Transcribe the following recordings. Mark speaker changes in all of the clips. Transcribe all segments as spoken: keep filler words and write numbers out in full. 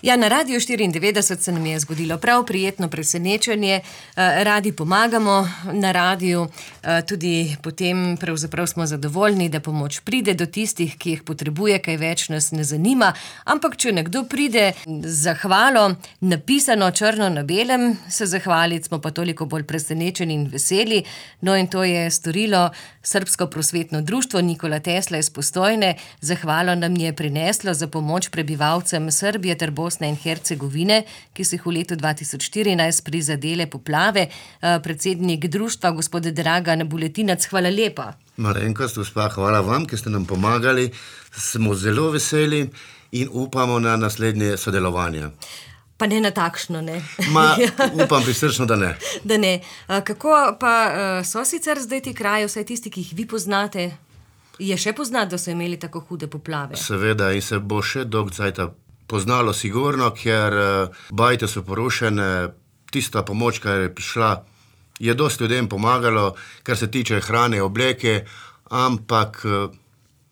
Speaker 1: Ja, na Radiu štiriindevetdeset se nam je zgodilo prav prijetno presenečenje. Radi pomagamo na radiju, tudi potem pravzaprav smo zadovoljni, da pomoč pride do tistih, ki jih potrebuje, kaj več nas ne zanima. Ampak, če nekdo pride z zahvalo, napisano črno na belem, se zahvaliti, smo pa toliko bolj presenečeni in veseli. No, in to je storilo Srbsko prosvetno društvo Nikola Tesla iz Postojne. Zahvalo nam je prineslo za pomoč prebivalcem Srbije ter Bosne in Hercegovine, ki so jih v letu dva tisoč štirinajst prizadele poplave. Predsednik društva, gospod Dragan Buletinac, hvala lepa.
Speaker 2: Malenkost, gospa, hvala vam, ki ste nam pomagali. Smo zelo veseli in upamo na naslednje sodelovanje.
Speaker 1: Pa ne na takšno, ne?
Speaker 2: Ma, upam prisrčno, da ne.
Speaker 1: Da ne. Kako pa so sicer zdaj ti kraji, vsaj tisti, ki jih vi poznate? Je še poznati, da so imeli tako hude poplave?
Speaker 2: Seveda, in se bo še dolgo cajta poznalo sigurno, ker bajte so porušene, tista pomoč, kar je prišla, je dosti ljudem pomagalo, kar se tiče hrane, obleke, ampak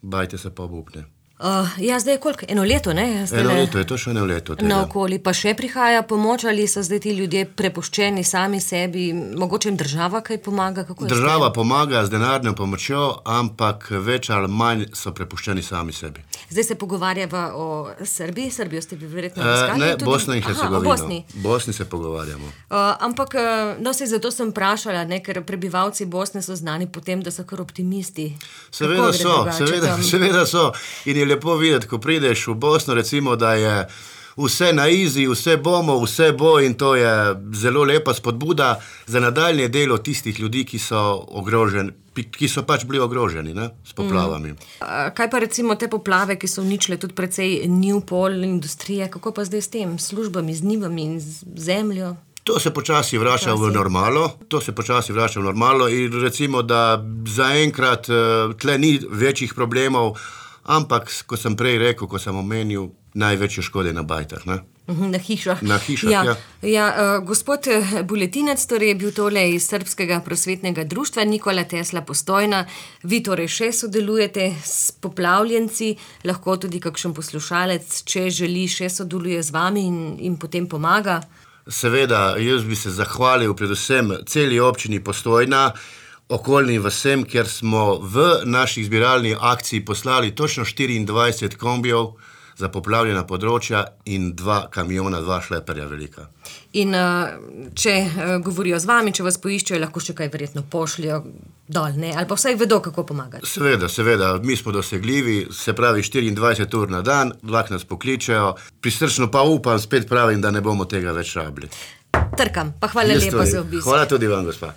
Speaker 2: bajte se pa obupne.
Speaker 1: Uh, ja, zdaj je koliko? Eno leto, ne? Zdaj
Speaker 2: eno
Speaker 1: le...
Speaker 2: leto, je to še eno leto. Tega.
Speaker 1: Na okoli pa še prihaja pomoč, ali so zdaj ti ljudje prepuščeni sami sebi? Mogoče jim država kaj pomaga? Kako
Speaker 2: država pomaga z denarno pomočjo, ampak več ali manj so prepuščeni sami sebi.
Speaker 1: Zdaj se pogovarjava o Srbiji. Srbijo ste bi verjetno obiskali?
Speaker 2: Uh, ne,
Speaker 1: tudi...
Speaker 2: Bosna in Hercegovina.
Speaker 1: Aha, o Bosni.
Speaker 2: Bosni se pogovarjamo.
Speaker 1: Uh, ampak, no, se zato sem vprašala, ne, ker prebivalci Bosne so znani potem, da so kar optimisti.
Speaker 2: Seveda so, seveda, seveda so. In je lepo videti, ko prideš v Bosno, recimo, da je vse na izi, vse bomo, vse bo, in to je zelo lepa spodbuda za nadaljnje delo tistih ljudi, ki so ogroženi, ki so pač bili ogroženi, ne, s poplavami.
Speaker 1: Mm. Kaj pa recimo te poplave, ki so uničile tudi precej njiv, pol, industrije, kako pa zdaj s tem, službami, z njivami in z zemljo?
Speaker 2: To se počasi vrača v normalo, to se počasi vrača v normalo in recimo, da zaenkrat tle ni večjih problemov, ampak, ko sem prej rekel, ko sem omenil, največje škode na bajtah, ne?
Speaker 1: Na hišah.
Speaker 2: Na hišah, ja.
Speaker 1: ja. ja uh, gospod Buletinac, torej je bil tole iz Srbskega prosvetnega društva Nikola Tesla Postojna. Vi torej še sodelujete s poplavljenci, lahko tudi kakšen poslušalec, če želi, še sodeluje z vami in, in potem pomaga?
Speaker 2: Seveda, jaz bi se zahvalil predvsem celi občini Postojna, okoljnim vasem, ker smo v naših zbiralni akciji poslali točno štiriindvajset kombijev za poplavljena področja in dva kamiona, dva šleperja velika.
Speaker 1: In uh, če uh, govorijo z vami, če vas poiščejo, lahko še kaj verjetno pošljajo dol, ne? Ali pa vsaj vedo, kako pomagati.
Speaker 2: Seveda, seveda, mi smo dosegljivi, se pravi štiriindvajset ur na dan, lahko nas pokličejo, prisrčno pa upam, spet pravim, da ne bomo tega več rabili.
Speaker 1: Trkam, pa hvala lepa za obisk.
Speaker 2: Hvala tudi vam, gospa.